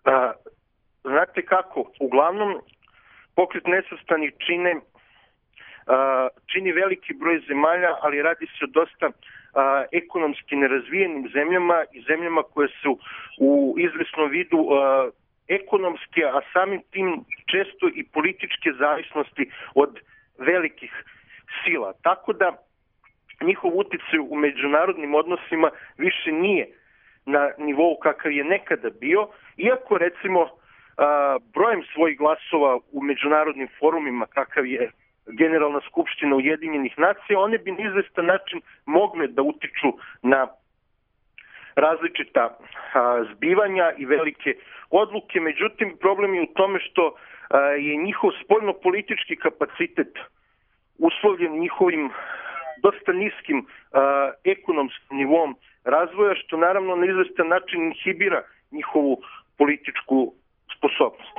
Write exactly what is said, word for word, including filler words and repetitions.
A, znate kako, uglavnom Pokret nesvrstanih čine a, čini veliki broj zemalja, ali radi se o dosta a, ekonomski nerazvijenim zemljama i zemljama koje su u izvesnom vidu a, ekonomske, a samim tim često i političke zavisnosti od velikih sila. Tako da njihov uticaj u međunarodnim odnosima više nije na nivou kakav je nekada bio, iako recimo a, brojem svojih glasova u međunarodnim forumima kakav je Generalna skupština Ujedinjenih nacija, one bi na izvestan način mogle da utiču na različita a, zbivanja i velike odluke. Međutim, problem je u tome što a, je njihov spoljno-politički kapacitet uslovljen njihovim dosta niskim a, ekonomskim nivom razvoja, što naravno na izvestan način inhibira njihovu političku sposobnost.